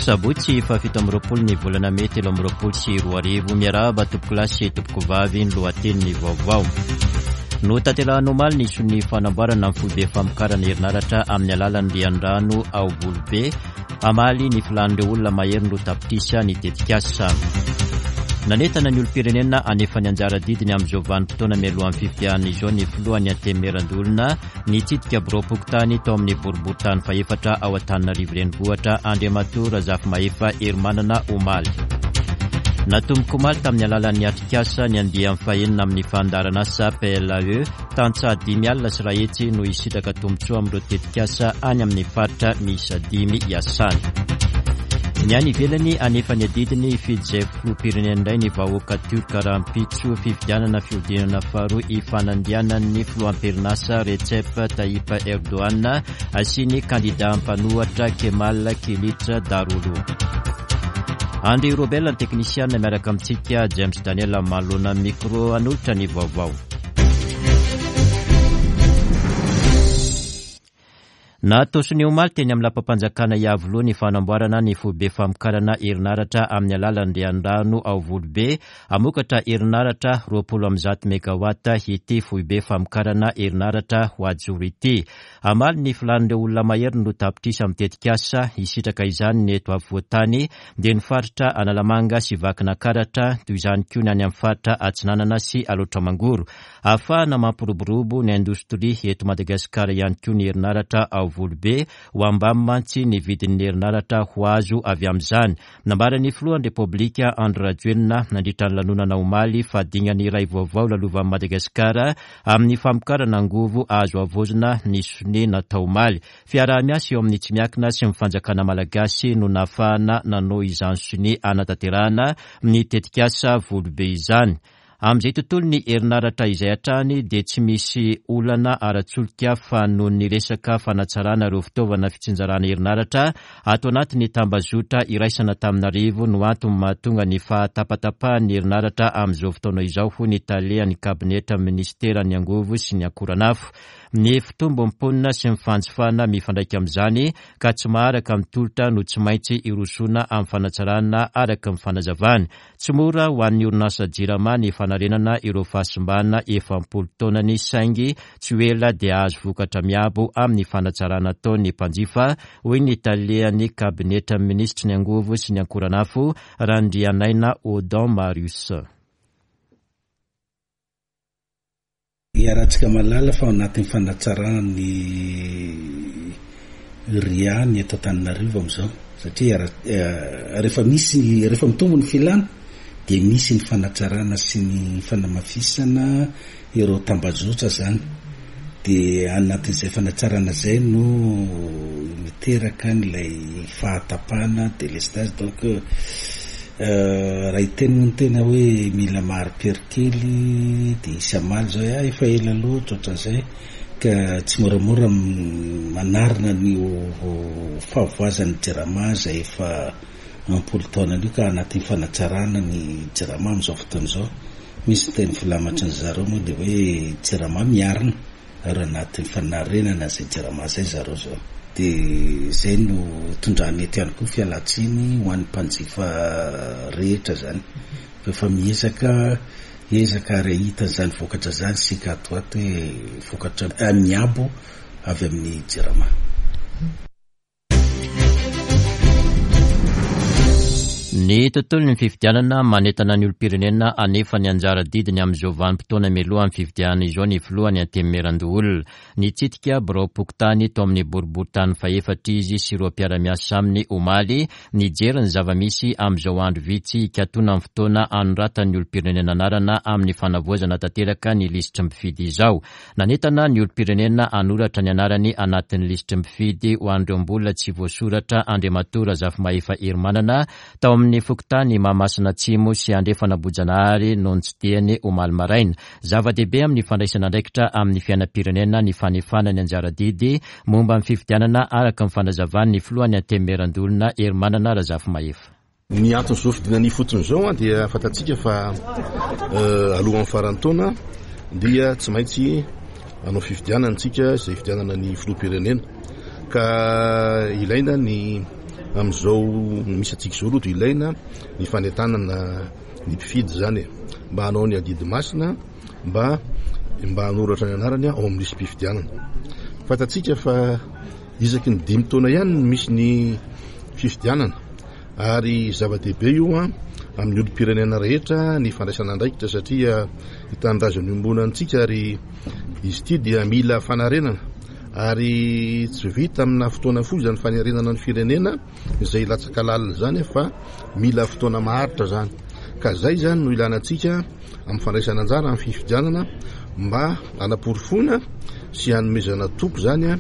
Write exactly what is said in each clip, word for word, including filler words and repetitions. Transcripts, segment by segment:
Sabotsy fahafito amby roapolo ny volana mey telo amby roapolo sy roa arivo. Miarahaba tompokolahy sy tompokovavy, ny lohatenin'ny vaovao. Notanterahina omaly ny sonia fanamboarana ny foibe famokarana herinaratra amin'ny alalan'ny riandrano ao Volobe, hamaly ny filan'ireo olona mahery roa tapitrisa ny tetikasa. Nanentana ny olom-pirenena hanefa ny anjara didiny amin'izao vanim-potoana mialohan'ny fifidianana izao ny filohan'ny Antenimierandoholona nitsidika biraom-pokontany tao amin'ny boriborintany fahefatra ao Antananarivo Renivohitra, Andriamatoa Razafimahefa Herimanana omaly. Natomboka omaly tamin'ny alalan'ny atrikasa ny andiany fahenina amin'ny fandaharanasa P L A E, tantsaha dimy alina sy iray hetsy no hisitraka tombontsoa amin'ireo tetikasa any amin'ny faritra miisa dimy iasany. Ny any ivelany hanefa ny adidiny hifidy izay filoham-pirenena indray ny vahoaka tiorka rahampitso fifidianana fihodinana faharoa hifanandrianan'ny filoham-pirenasa Recep Tayyip Erdogan sy ny kandida mpanohitra Kemal Kılıçdaroğlu. André Robert ny teknisiana miaraka amintsika, James Daniel manoloana micro hanolotra ny vaovao. Natao sonia omaly teny amin'ny lapam-panjakana Iavoloha ny fanamboarana ny foibe famokarana herinaratra amin'ny alalan'ny riandrano ao Volobe, hamokatra herinaratra roapolo amby zato megawatt ity foibe famokarana herinaratra ho ajoro ity. Hamaly ny filan'ireo olona mahery no tapitrisa amin'ny tetikasa hisitraka izany ny eto afovoan-tany, dia ny faritra Analamanga sy Vakinankaratra, toy izany koa ny any amin'ny faritra Atsinanana sy Alaotra Mangoro. Ahafahana mampiroborobo ny indostria eto Madagasikara ihany koa ny herinaratra ao Volobe, ho ambany mantsy ny vidin'ny herinaratra ho azo avy amin'izany. Nambaran'ny filohan'ny Repoblika Andry Rajoelina nandritra ny lanonana omaly fa dingana iray vaovao lalovan'i Madagasikara amin'ny famokarana angovo azo havaozina ny sonia natao omaly. Fiaraha-miasa eo amin'ny tsy miankina sy ny fanjakana malagasy no nahafahana nanao izany sonia hanatanterahana ny tetikasa Volobe izany. Amin'izay tontolo ny herinaratra izay hatrany dia tsy misy olana ara-tsolika fa noho ny resaka fanatsarana ireo fitaovana fitsinjarana herinaratra ato anatin'ny tambazotra iraisana Antananarivo no antony mahatonga ny fahatapatapahan'ny herinaratra amin'izao fotoana izao, hoy ny talehan'ny kabinetra ministeran'ny angovo sy ny akoranafo. Ny fitombon'ny mponina sy ny fanjifana mifandraika amin'izany ka tsy maharaka ny tolotra no tsy maintsy irosoana amin'ny fanatsarana araka ny fanazavana. Tsy mora ho an'ny orinasa Jirama ny fanarenana ireo fahasimbana efa am-polo taonany, saingy tsy ho ela dia azo vokatra miabo amin'ny fanatsarana ataon'ny mpanjifa, hoy ny talehan'ny kabinetra minisitry ny angovo sy ny akoranafo Randrianaina Odon Marius. Iarahantsika mahalala fa ao anatin'ny fanatsarana ny ria ny eto Antananarivo amin'izao, satria rehefa misy, rehefa mitombo ny filana dia misy ny fanatsarana sy ny fanamafisana ireo tambazotra zany. Dia anatin'izay fanatsarana izay no miteraka an'ilay fahatapahana délestage. Donc raha hiteny moa ny tena hoe mila mari-pery kely dia hisy hamaly zao hoe, ah, efa ela loatra ohatran'izay, ka tsy moramora manarina ny fahavoazan'ny Jirama izay efa ampolo taona io, ka anatin'ny fanatsarana ny Jirama amin'izao fotoana izao. Misy ny teny filamatry ny zareo moa dia hoe Jirama miarina, ary anatin'ny fanarenana izay Jirama izay zareo zao. Dia izay no tondrany eto ihany koa fialantsiny ho an'ny mpanjifa rehetra zany. Efa miezaka, ezaka ary hahita izany vokatra izany isika ato ato hoe vokatra miabo avy amin'ny Jirama. Ny tontolon'ny fifidianana manentana ny olom-pirenena hanefa ny anjara didiny amin'izao vanim-potoana mialohan'ny fifidianana izao ny filohan'ny Antenimierandoholona. Nitsidika biraom-pokontany tao amin'ny boriborintany fahefatra izy sy ireo mpiara-miasa aminy omaly, nijery ny zava-misy amin'izao andro vitsy hikatona ny fotoana hanoratan'ny olom-pirenena anarana amin'ny fanavaozana tanteraka ny lisitry ny mpifidy izao. Nanentana ny olom-pirenena hanoratra ny anarany anatin'ny lisitry ny mpifidy ho an'ireo mbola tsy voasoratra Andriamatoa Razafimahefa Herimanana tao amin'ny fokontany Mahamasina Atsimo sy Andrefana Ambohijanahary no notsidihany omaly maraina. Zava-dehibe amin'ny fandraisana andraikitra amin'ny fiainam-pirenena ny fanefana ny anjara didy momba ny fifidianana araka ny fanazavan'ny filohan'ny Antenimierandoholona Herimanana Razafimahefa. Ny anton'izao fidinana ifotony izao dia fantatsika fa alohan'ny faran'ny taona dia tsy maintsy hanao fifidianana isika, izay fifidianana ny filoham-pirenena, ka ilaina ny Amin'izao misy antsika izao aloha dia ilaina ny fanentanana ny mpifidy izany mba hanao ny adidy masina, mba mba hanoratra ny anarany ao amin'ny lisi-pifidianana. Fantatsika fa isaky ny dimy taona ihany no misy ny fifidianana, ary zava-dehibe io amin'ny olom-pirenena rehetra ny fandraisana andraikitra, satria ny tanindrazana iombonantsika, ary izy ity dia mila fanarenana, ary tsy vita amina fotoana fohy izany fanarenana ny firenena izay latsaka lalina izany, fa mila fotoana maharitra izany. Ka zay izany no ilana antsika amin'ny fandraisana anjara amin'ny fifidianana, mba hanaporofoana sy hanomezana toky izany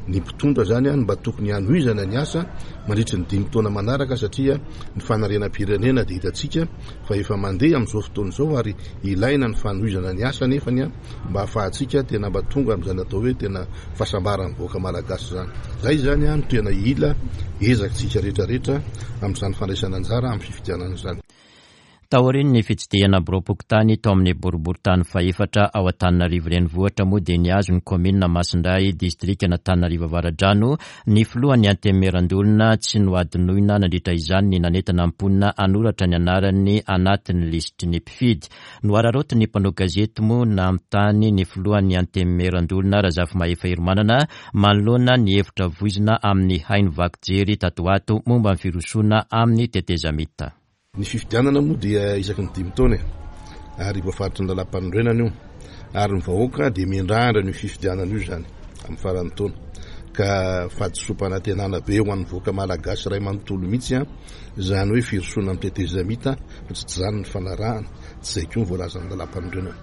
ny mpitondra izany mba tokony hanohizana ny asa mandritry ny dimy taona manaraka, satria ny fanarenam-pirenena dia hitantsika fa efa mandeha amin'izao fotoana izao, ary ilaina ny fanohizana ny asa nefany mba ahafahantsika tena mba tonga amin'izany atao hoe tena fahasambaran'ny vahoaka malagasy izany. Zay izany no tena ila ezakitsika rehetrarehetra amin'izany fandraisana anjara amin'ny fifidianana izany. Taorian'ny fitsidihana biraom-pokontany tao amin'ny boriborintany fahefatra ao Antananarivo renivohitra moa dia nihazo ny kaominina Masindray distrikan'Antananarivo Avaradrano ny filohan'ny Antenimierandoholona. Tsy nohadinoina nandritra izany ny nanentana ny mponina hanoratra ny anarany anatin'ny lisitry ny mpifidy. Noararaotin'ny mpanao gazety moa nanontany ny filohan'ny Antenimierandoholona Razafimahefa Herimanana manoloana ny hevitra voizina amin'ny haino vaky jery tato ato momba ny firosoana amin'ny tetezamita. Ny fifidianana moa dia isaky ny dimy taona, ary voafaritry ny lalàm-panorenana io, ary ny vahoaka dia miandrandra ny fifidianana io izany amin'ny faran'ny taona. Ka fahadisoam-panantenana be ho an'ny vahoaka malagasy iray manontolo mihitsy izany hoe firosoana amin'ny tetezamita, fa tsy izany ny fanarahana, tsy izay koa ny voalazan'ny lalàm-panorenana.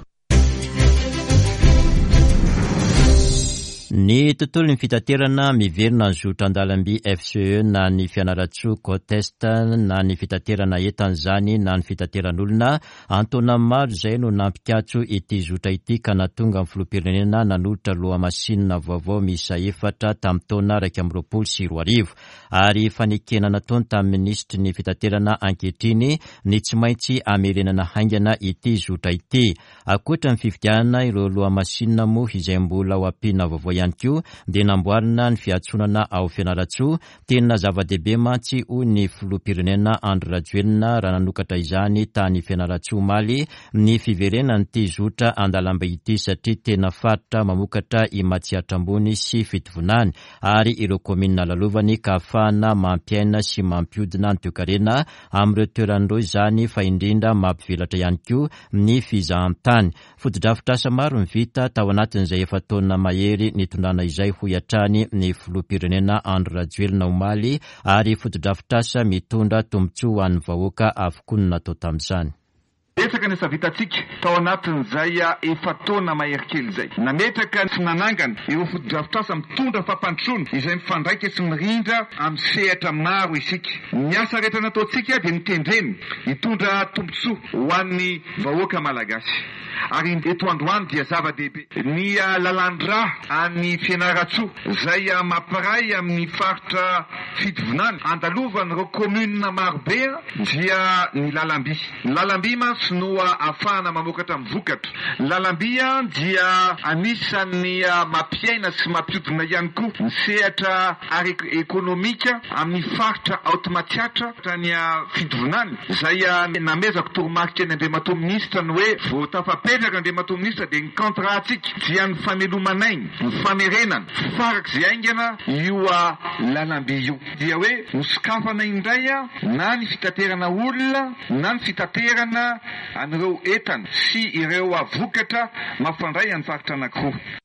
Ny tontolon'ny fitaterana miverina ny zotra an-dalamby F C E na ny Fianarantsoa Côte Est na ny fitaterana entana izany na ny fitateran'olona. Antaona maro izay no nampikatso ity zotra ity ka nahatonga ny filoham-pirenena nanolotra lohamasinina vaovao miisa efatra tamin'ny taona iraika amby roapolo sy roa arivo. Ary fanekena nataony tamin'ny minisitry ny fitaterana ankehitriny ny tsy maintsy hamerenana haingana ity zotra ity. Ankoatra ny fifidianana ireo lohamasinina moa izay mbola ho ampiana vaovao ihany koa dia namboarina ny fiantsonana ao Fianarantsoa. Tena zava-dehibe mantsy hoy ny filoham-pirenena Andry Rajoelina raha nanokatra izany tany Fianarantsoa omaly ny fiverenan'ity zotra an-dalambe ity, satria tena faritra mamokatra i Matsiatra Ambony sy Fitovinany ary ireo kaominina lalovany ka ahafahana mampiaina sy mampiodina ny toekarena amin'ireo toeran'ireo izany, fa indrindra mampivelatra ihany koa ny fizahantany. Fotodrafitrasa maro ny vita tao anatin'izay efa taona mahery nitondrana izay hoy hatrany ny filoham-pirenena Andry Rajoelina omaly, ary fotodrafitrasa mitondra tombontsoa ho an'ny vahoaka avokoa no natao tamin'izany. Betsaka ny asa vitantsika tao anatin'izay efa taona mahery kely izay. Nametraka sy nanangana ireo fotodrafitrasa mitondra fampandrosoana izay mifandraika sy mirindra amin'ny sehatra maro isika. Ny asa rehetra nataontsika dia notendrena hitondra tombontsoa ho an'ny vahoaka malagasy. Ary eto androany dia zava-dehibe ny lalan-drà any Fianarantsoa izay mampiray amin'ny faritra Fitovinany andalovan'ireo commune marobe dia ny lalamby. Ny lalamby mantsy no ahafahana mamokatra amin'ny vokatra. Ny lalamby dia anisan'ny mampiaina sy mampiodina ihany koa ny sehatra ara-ekonomika amin'ny faritra ao Matsiatra hatrany Fitovinany izay namezako toromarika ny Andriamatoa Minisitra ny hoe vao tafapetraka Andriamatoa Minisitra dia ny contrat-tsika dia ny fameloman'aina, ny famerenana farak'izay haingana io lalamby io. Dia hoe hosokafana indray na ny fitaterana olona na ny fitaterana an'ireo entana sy ireo vokatra mampifandray amin'ny faritra anankiroa.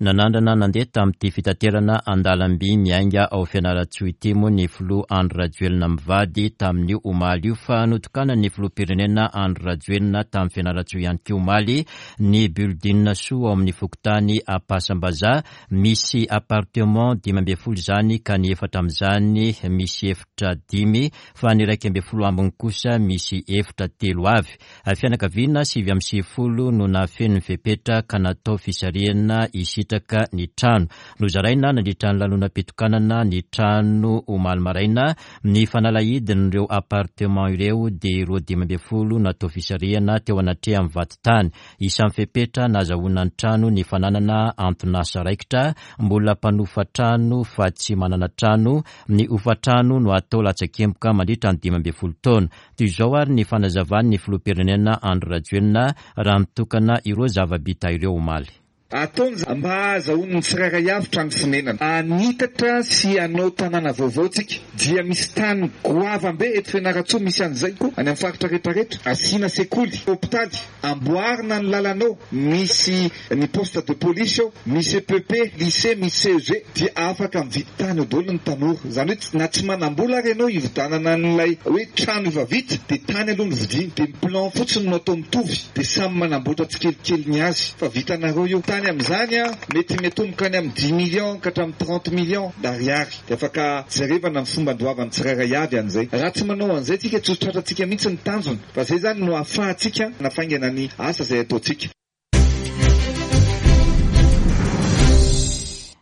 Nanandrana nandeha tamin'ity fitaterana an-dalamby miainga ao Fianarantsoa ity moa ny filoha Andry Rajoelina mivady tamin'io omaly io, fa notokanan'ny filoham-pirenena Andry Rajoelina tamin'ny Fianarantsoa ihany koa omaly ny building soa ao amin'ny fokontany Ampasambazaha. Misy appartement dimy ambin'ny folo izany ka ny efatra amin'izany misy efitra dimy fa ny iraika ambin'ny folo ambiny kosa misy efitra telo avy. Fianakaviana sivy amby sivifolo no nahafeno ny fepetra ka natao fisarihana isy hipetraka ny trano. Nozaraina nandritra ny lanonam-pitokanana ny trano omaly maraina ny fanalahidin'ireo appartement ireo dia ireo dimy ambin'ny folo natao fisarihana teo anatrehan'ny vadintany. Isan'ny fepetra nahazahoana ny trano ny fananana anton'asa raikitra, mbola mpanofa trano fa tsy manana trano, ny hofantrano no atao latsakemboka mandritra ny dimy ambin'ny folo taona. Toy izao ary ny fanazavan'ny filoham-pirenena Andry Rajoelina raha mitokana ireo zava-bita ireo omaly. Ataony mba hahazahoan'ny tsirairay avy trano fonenana. Hanitatra sy hanao tanàna vaovao tsika dia misy tany goavambe eto Fianarantsoa, misy an'izay koa any amin'ny faritra rehetrarehetra. Asiana sekoly, hopitaly, amboarina ny lalanao, misy ny poste de police ao, misy E P P, lycée, misy C E G, dia afaka mividy tany eo daholo ny tanora. Izany hoe na tsy manam-bola ary ianao hividanana an'ilay hoe trano efa vita, dia tany aloha no vidiana, dia ny plan fotsiny no atao mitovy, dia samy manamboatra tsikelikely ny azy fa vitanareo io. Tany amin'izany a, mety miatomboka any amin'ny dix millions ka hatramin'ny trente millions d'ariary, dia afaka jerevana ny fomba andoavan'ny tsirairay avy an'izay. Raha tsy manao an'izay tsika, tsy ho tratrantsika mihitsy ny tanjona, fa zay zany no ahafahantsika nafaingana ny asa izay ataontsika.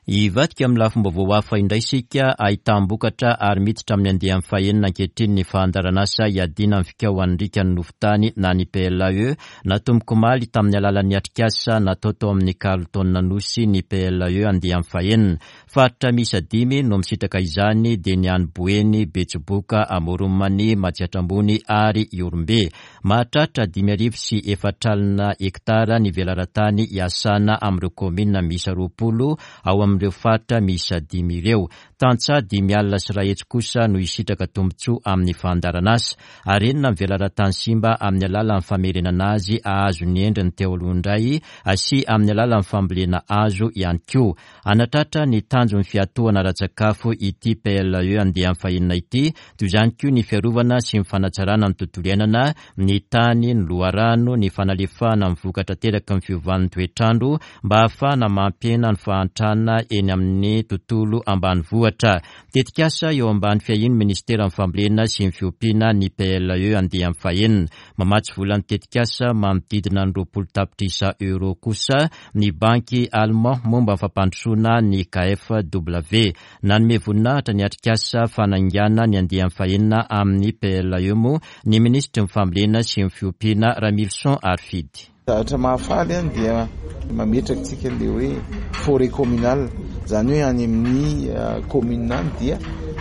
Hivadika amin'ny lafim-baovao hafa indray isika, ahitam-bokatra ary miditra amin'ny andiany fahenina ankehitriny ny fandaharanasa hiadiana amin'ny fikaohan'ny rikan'ny nofon-tany na ny P L A E. Natomboka omaly tamin'ny alalan'ny atrikasa natao tao amin'ny Carlton Anosy ny P L A E andiany fahenina. Faritra miisa dimy no misitraka izany dia ny any Boeny, Betsiboka, Amoron'i Mania, Matsiatra Ambony ary Ihorombe. Mahatratra dimy arivo sy efatra alina hektara ny velaran-tany hiasana amin'ireo kaominina miisa roapolo ao amin'ireo faritra miisa dimy ireo. Tantsaha dimy alina sy iray hetsy kosa no hisitraka tombontsoa amin'ny fandaharanasa. Arenina ny velaran-tany simba amin'ny alalan'ny famerenana azy hahazo ny endriny teo aloha indray sy amin'ny alalan'ny fambolena hazo ihany koa. Hanatratra ny tanjon'ny fiatohana ara-tsakafo ity P L A E andiany fahenina ity, toy izany koa ny fiarovana sy ny fanatsarana ny tontolo iainana, ny tany, ny loharano, ny fanalefahana ny vokatra ateraky ny fiovan'ny toetrandro mba ahafahana mampihena ny fahantrana eny amin'ny tontolo ambanivohitra. Tetikasa eo ambany fiahian'ny ministeran'ny fambolena sy ny fiompiana ny P L A E andiany fahenina. Mamatsy vola ny tetikasa manodidina ny roapolo tapitrisa euro kosa ny banky allemand momba ny fampandrosoana ny K F W. Nanome voninahitra ny atrikasa fanaingana ny andiany fahenina amin'ny P L A E moa ny minisitry ny fambolena sy ny fiompiana Ramilison Harifidy. Zavatra mahafaly any dia mametraka tsika le hoe forêt communale, zany hoe any amin'ny, eh, commune any dia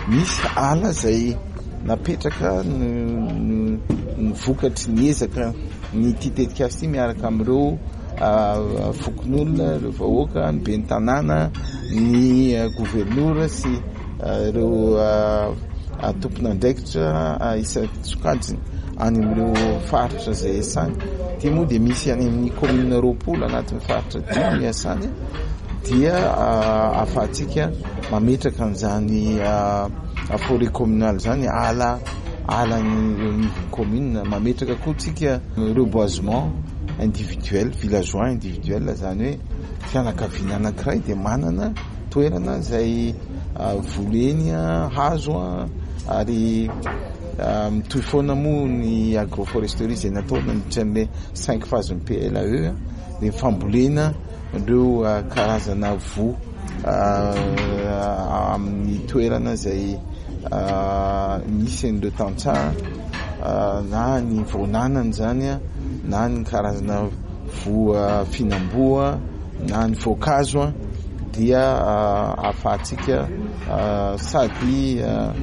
misy ala zay napetraka ny, ny vokatry ny ezaka ny ity tetikasa ity miaraka amin'ireo, ah, fokonolona, ireo vahoaka, ny ben'ny tanàna, ny, eh, governora sy, eh, ireo, ah, ah, tompon'andraikitra, ah, isan-tsokajiny any amin'ireo faritra izay iasany. Ity moa dia misy any amin'ny commune roapolo anatin'ny faritra dimy iasany, dia, ah, ahafahantsika mametraka an'izany, ah, forêt communale zany, ala, ala ny eo anivon'ny commune. Mametraka koa tsika reboisement individuel, villageois individuel, zany hoe fianakaviana anankiray dia manana toerana izay, ah, voleny, ah, hazo, ah, ary, ah, mitohy foana moa ny agroforesterie izay natao nandritra ny cinq phases ny P L A E, dia fambolena ireo, ah, karazana voa, ah, amin'ny toerana izay, ah, misy an'ireo tantsaha, ah, na ny voananany zany, ah, na ny karazana voa fihinam-boa, na ny voankazo, ah, dia, ah, ahafahantsika, ah, sady, ah,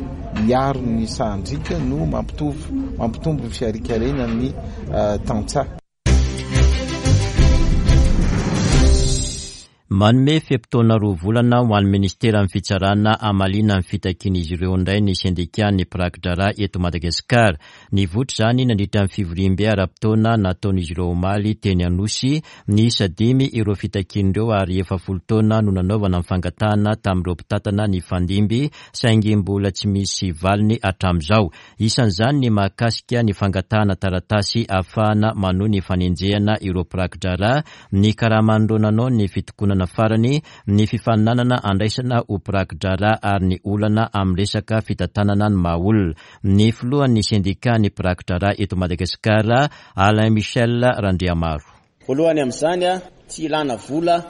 miaro ny sahandriaka no mampitovy, mampitombo ny fiharikarenan'ny, ah, tantsaha. Manome fe-potoana roa volana ho an'ny ministeran'ny fitsarana hamaliana ny fitakian'izy ireo indray ny sendikan'ny mpiraki-draharaha eto Madagasikara. Nivoitra izany nandritra ny fivoriambe ara-potoana nataon'izy ireo omaly teny Anosy. Niisa dimy ireo fitakian'ireo ary efa folo taona no nanaovana ny fangatahana tamin'ireo mpitantana ny fandimby, saingy mbola tsy misy valiny hatramin'izao. Isan'izany ny mahakasika ny fangatahana taratasy ahafahana manohy ny fanenjehana ireo mpiraki-draharaha, ny karaman'ireo nanao ny fitokonana farany, ny fifaninanana andraisana ho mpiraki-draharaha ary ny olana amin'ny resaka fitantanana ny maha olona. Ny filohan'ny sendikan'ny mpiraki-draharaha eto Madagasikara, Alain Michel Randriamaro. Voalohany amin'izany, a, tsy ilana vola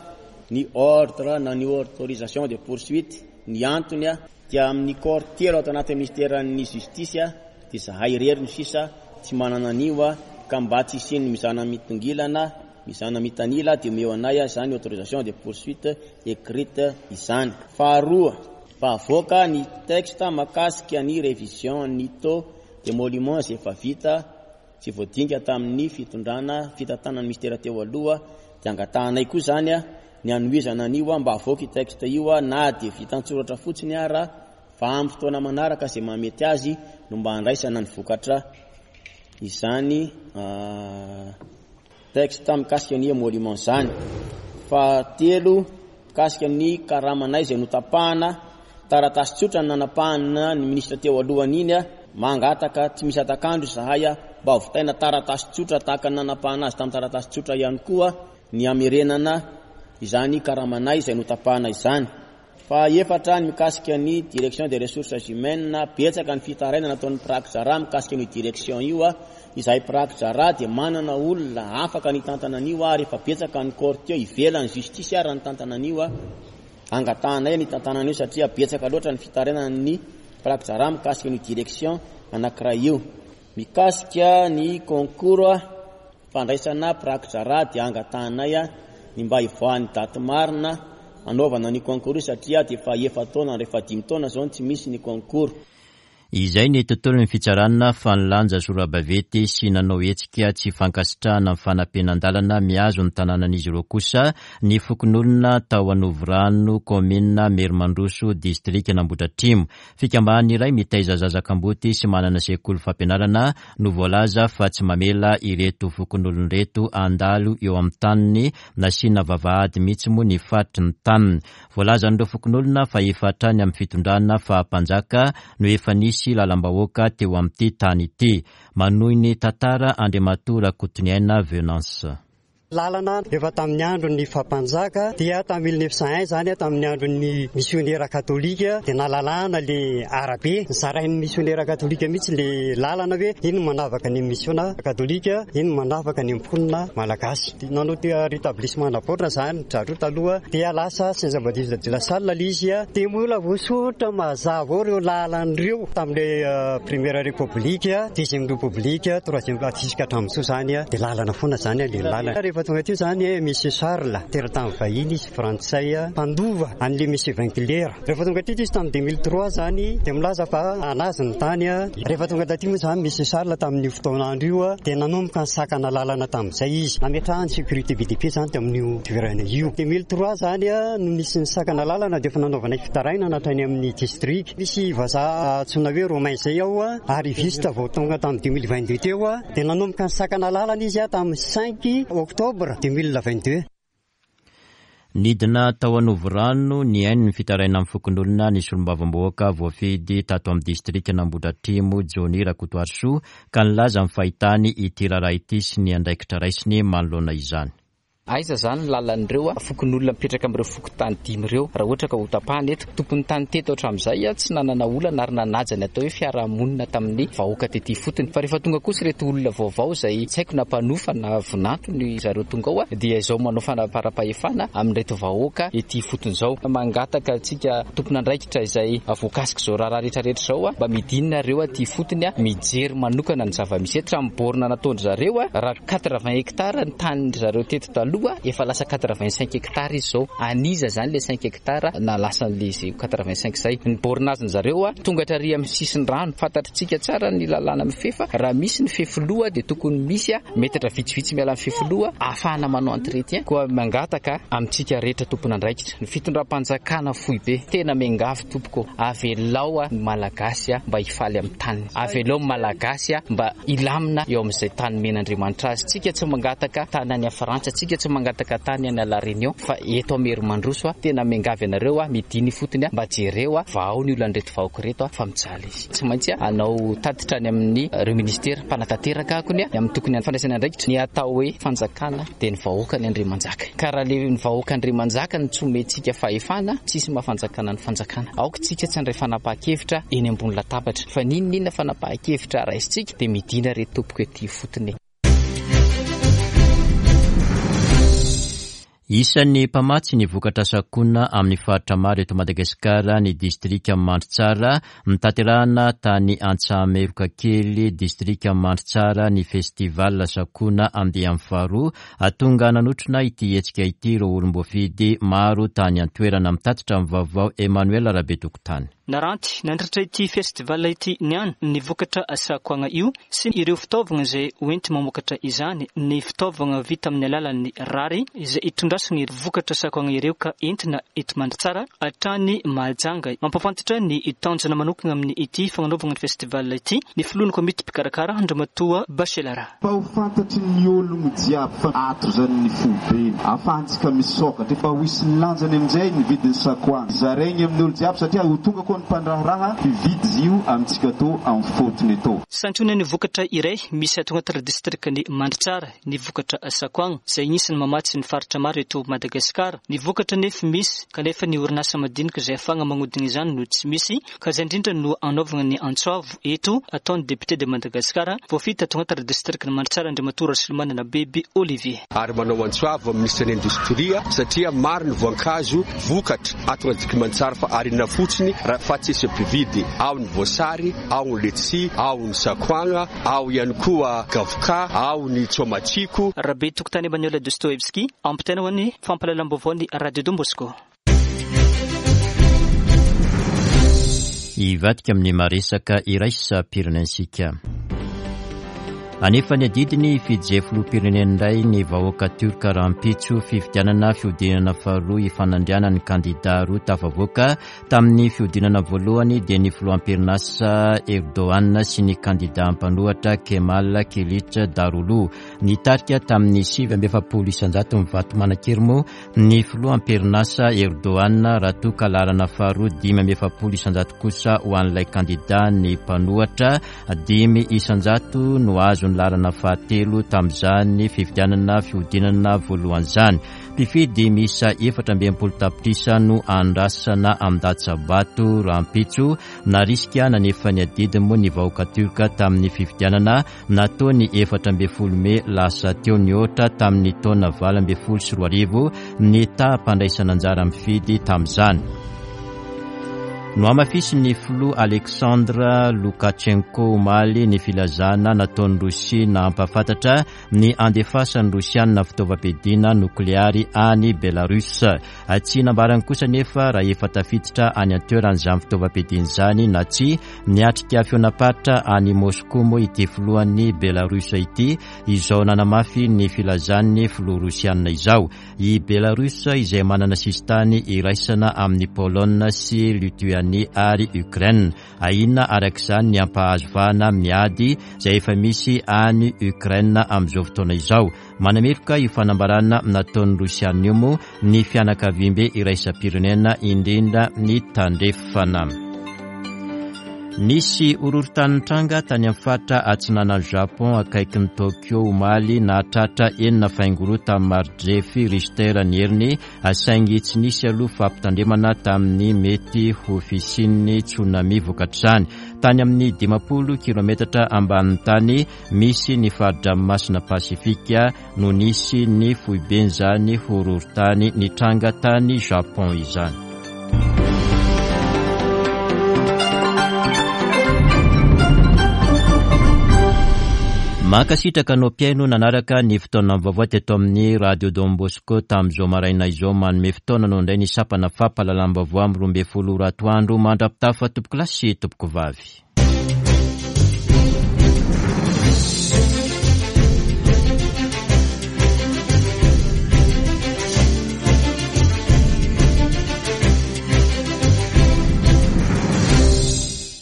ny ordre na ny autorisation de poursuite. Ny antony dia amin'ny corps telo ato anatin'ny ministeran'ny justice dia zahay irery no sisa tsy manana an'io, ka mba tsy hisian'ny mizana mitongilana, mizana mitanila, dia omeo anay izany autorisation de poursuite écrite izany. Faharoa, mba avoaka ny texte mahakasika ny révision ny taux d'émolument izay efa vita tsy voadinika tamin'ny fitondrana fitantanan'ny ministera teo aloha, dia angatahanay koa izany ny hanohizana an'io mba avoaka io texte io na dia vita an-tsoratra fotsiny ara, fa amin'ny fotoana manaraka izay mahamety azy no mba handraisana ny vokatra izany texte mikasika ny émolument izany. Fahatelo, mikasika ny karamanay izay notapahana, taratasy tsotra no nanapahana ny ministra teo alohany iny, mangataka tsy misy atakandro izahay mba hovitaina taratasy tsotra tahaka ny nanapahana azy tamin'ny taratasy tsotra ihany koa ny hamerenana izany karamanay izay notapahana izany. Fa efatra, ny mikasika ny direction des ressources humaines, betsaka ny fitarainana nataon'ny mpiraki-draharaha mikasika ny direction io. Izahay mpiraki-draharaha dia manana olona afaka nitantana an'io, ary efa betsaka ny corps teo ivelan'ny justice ary nitantana an'io. Angatahanay ny tantanana an'io satria betsaka loatra ny fitarainana ny mpiraki-draharaha mikasika ny direction anankiray io. Mikasika ny concours fandraisana mpiraki-draharaha dia angatahanay ny mba hivoahan'ny daty marina anaovana ny concours satria dia efa efa-taona, rehefa dimy taona izao no tsy misy ny concours. Izay ny tontolon'ny fitsarana fa nilanja sorabaventy sy nanao hetsika tsy fankasitrahana ny fanampenan-dalana mihazo ny tanànan'izy ireo kosa ny fokonolona tao Anovorano, kaominina Merimandroso, distrikan'Ambohidratrimo. Fikambanana iray mitaiza zaza kamboty sy manana sekoly fampianarana no voalaza fa tsy mamela ireto fokonolona ireto handalo eo amin'ny taniny, nasiana vavahady mihitsy moa ny faritry ny taniny. Voalazan'ireo fokonolona fa efa hatrany amin'ny fitondrana faha-mpanjaka no efa nisy lalam-bahoaka teo amin'ity tany ity. Manohy ny tantara Andriamatoa Rakotoniaina Venance. Lalana efa tamin'ny andron'ny fampanjaka dia tamin'ny mille neuf cent un zany, tamin'ny andron'ny misionera katolika dia nalalana le arabe, nizarain'ny misionera katolika mihitsy le lalana hoe ino manavaka ny misiona katolika, ino manavaka ny mponina malagasy. Nanao ty rétablissement naborina zany zareo taloha dia lasa Saint-Jean-Baptiste de la Salle le izy, dia mbola voasoritra mazava ao ireo lalana ireo tamin'ilay première république, deuxième république, troisième jusqu'à hatramin'izao zany dia lalana foana zany le lalana. Rehefa tonga teo zany Monsieur Charles, teratany vahiny izy frantsay, mpandova an'le Monsieur Vinclair. Rehefa tonga teto izy tamin'ny deux mille trois zany dia milaza fa anazy ny tany. Rehefa tonga taty moa zany Monsieur Charles tamin'io fotoan'andro io dia nanomboka nisakana lalana tamin'izay izy, nametrahany sécurité B D P zany tamin'io toerana io. deux mille trois zany no nisy nisakana lalana dia efa nanaovana fitarainana hatrany amin'ny district. Misy vazaha antsoina hoe Romain izay ao, arriviste vao tonga tamin'ny deux mille vingt-deux teo, dia nanomboka nisakana lalana izy tamin'ny cinq octobre deux mille vingt-deux. Nidina tao Anovorano nihaino ny fitarainana amin'ny fokonolona ny solombavambahoaka voafidy tato amin'ny distrikan'Ambohidratrimo Johnny Rakotoarisoa ka nilaza ny fahitany ity raharaha ity sy ny andraikitra raisiny manoloana izany. Aiza zany ny lalan'ireo fokonolona mipetraka amin'ireo fokontany dimy ireo raha ohatra ka ho tapahana eto? Tompon'ny tany teto hatramin'izay tsy nanana olana ary nanaja ny atao hoe fiarahamonina tamin'ny vahoaka tety ifotony. Fa rehefa tonga kosa ireto olona vaovao izay tsy haiko na mpanofa na vinanto ny zareo tonga ao, dia izao manao fanaparam-pahefana amin'ireto vahoaka ety ifotony izao. Mangataka antsika tompon'andraikitra izay voakasika izao raharaha rehetrarehetra izao, mba midinina ireo aty ifotony, mijery manokana ny zava-misy eto. Hatramin'ny borne nataon-dry zareo, raha quatre-vingts hectares ny tanin-dry zareo teto taloha, efa lasa quatre-vingt-cinq hectares izy izao. Aniza zany le cinq hectares na lasa le zay quatre-vingt-cinq zay. Ny bornaziny zareo tonga hatrary amin'ny sisin'ny rano. Fantatritsika tsara ny lalàna mifefa, raha misy ny fefiloha dia tokony misy metatra vitsivitsy miala amin'ny fefiloha ahafahana manao entretien. Koa mangataka amintsika rehetra tompon'andraikitra, ny fitondram-panjakana foibe, tena miangavy tompoko, avelao ny Malagasy mba hifaly amin'ny taniny, avelao ny Malagasy mba hilamina eo amin'izay tany omen'Andriamanitra azy. Tsika tsy mangataka tany any Frantsa, tsika tsy mangataka tany any La Réunion, fa eto Amerimandroso tena miangavy anareo midiny ifotony mba jereo vahao ny olan'ireto vahoaka ireto fa mijaly izy. Tsy maintsy hanao tatitra any amin'ny ireo ministera mpanatanteraka akony amin'ny tokony fandraisana andraikitra. Ny atao hoe fanjakana dia ny vahoaka ny Andriamanjaka. Ka raha le ny vahoaka Andriamanjaka no tsy omentsika fahefana, tsisy mahafanjakana ny fanjakana. Aoka tsika tsy handray fanapahan-kevitra eny ambony latabatra, fa n'inon'inona fanapahan-kevitra raisitsika dia midina reto tompoko ety ifotony. Isan'ny mpamatsy ny vokatra sakoana amin'ny faritra maro eto Madagasikara ny distrika Mandritsara. Notanterahina tany Antsahameroka kely, distrika Mandritsara, ny festival sakoana andiany faharoa. Tonga nanotrona ity hetsika ity ireo olom-boafidy maro tany an-toerana. Mitatitra ny vaovao Emmanuel Rabetokotany. Naranty nandritra ity festival ity niany ny vokatra sakoagna io sy ireo fitaovana izay hoenty mamokatra izany, ny fitaovana vita amin'ny alalan'ny rary izay itondrasana ny vokatra sakoagna ireo ka entina eto Mandritsara hatrany Mahajanga. Mampafantatra ny tanjona manokana amin'ny ity fagnanaovana ny festival ity ny filohan'ny komity mpikarakara Andriamatoa Bachelara. Fa ho fantatry ny ologno jiaby fa ato zany ny foibe ahafahantsika misokatra, efa ho isy ny lanjany amin'izay ny vidin'ny sakoagna zaraigny amin'ny olo jiaby satria ho tonga koa ny mpandraharaha hividy izy io amintsika tô amin'ny fotony tô. Santionany vokatra iray misy ato anatin'ny distrikan'i Mandritsara ny vokatra sakoagna izay anisan'ny mamatsy ny faritra maro eto Madagasikara. Ny vokatra nefa misy kanefa ny orinasa madinika izay ahafahana magnodina izany no tsy misy, ka izay indrindra no anaovana ny antsoavo eto ataon'ny député de Madagasikara voafidy ato anatin'ny distrikan'i Mandritsara Andriamatoa Rasolomanana Beby Olivier. Ary manao antsoavo amin'ny minisitry ny indostria satria maro ny voankazo vokatra ato anatin'ny Mandritsara fa arina fotsiny fa tsisy mpividy. Ao ny voasary, ao ny letchi, ao ny sakoagna, ao ihany koa gavoka, ao ny tsomatsiko. Rabetokotany Emmanuel Dostoevsky, ampitaina ho an'ny fampahalalam-baovao ny Radio Don Bosco. Hivadika amin'ny maresaka iraisam-pirenentsika. Anefa ny adidiny fijery filoham-pirenena indray ny vahoaka turka rahampitso fifidianana fihodinana faharoa ifanandrianan'ny kandida roa tafavoaka tamin'ny fihodinana voalohany dia ny filoham-pirenasa Erdogan sy ny kandida mpanohitra Kemal Kılıçdaroğlu. Nitarika tamin'ny sivy amby efapolo isanjato ny vato manan-kery moa ny filoham-pirenasa Erdogan raha toa ka laharana faharoa dimy amby efapolo isanjato kosa ho an'ilay kandida ny mpanohitra, dimy isanjato no azo ny laharana fahatelo tamin'izany fifidianana fihodinana voalohany izany. Mpifidy miisa efatra amby enimpolo tapitrisa no andrasana amin-datsabato rahampitso. Narisika nanefa ny adidiny moa ny vahoaka turka tamin'ny fifidianana natao ny efatra ambin'ny folo mey lasa teo, nihoatra tamin'ny taona valo ambin'ny folo sy roa arivo ny taham-pandraisana anjara mifidy tamin'izany. Nohamafisin'ny filoha Alexandre Lukashenko omaly ny filazana nataon'ny Rosia nampahafantatra ny andefasan'ny Rosiana fitaovam-piadiana nokleary any Belarus. Tsy nambarany kosa nefa raha efa tafiditra any an-toerana izany fitaovam-piadiana izany na tsy. Niatrika fihaonam-paritra any Moscou moa ity filohan'ny Belarus ity izao nanamafy ny filazan'ny filoha rosiana izao. I Belarus izay manana sisintany iraisana amin'ny Pologne sy Lituanie ary Ukraine. Ahiana araka izany ny hampahazo vahana miady izay efa misy any Ukraine amin'izao fotoana izao. Manameloka io fanambarana nataon'ny Rosiana io moa ny fianakaviambe iraisam-pirenena, indrindra ny tandrefana. Nisy horohorontany nitranga tany amin'ny faritra atsinanan'i Japon akaikin'i Tokyo omaly, nahatratra enina faingo roa tamin'ny mari-drefy Richter ny heriny, saingy tsy nisy aloha fampitandremana tamin'ny mety ho fisian'ny tsunami vokatr'izany. Tany amin'ny dimampolo kilometatra ambanin'ny tany misy ny fari-dranomasina Pasifika no nisy ny foiben'izany horohorontany nitranga tany Japon izany. Mankasitraka anao mpihaino nanaraka ny fotoana vaovao teto amin'ny Radio Don Bosco tamin'izao maraina izao. Manome fotoana anao indray ny sampana fampahalalam-baovao amin'ny roa ambin'ny folo ora atoandro. Mandra-pitafa tompoko lahy sy tompoko vavy.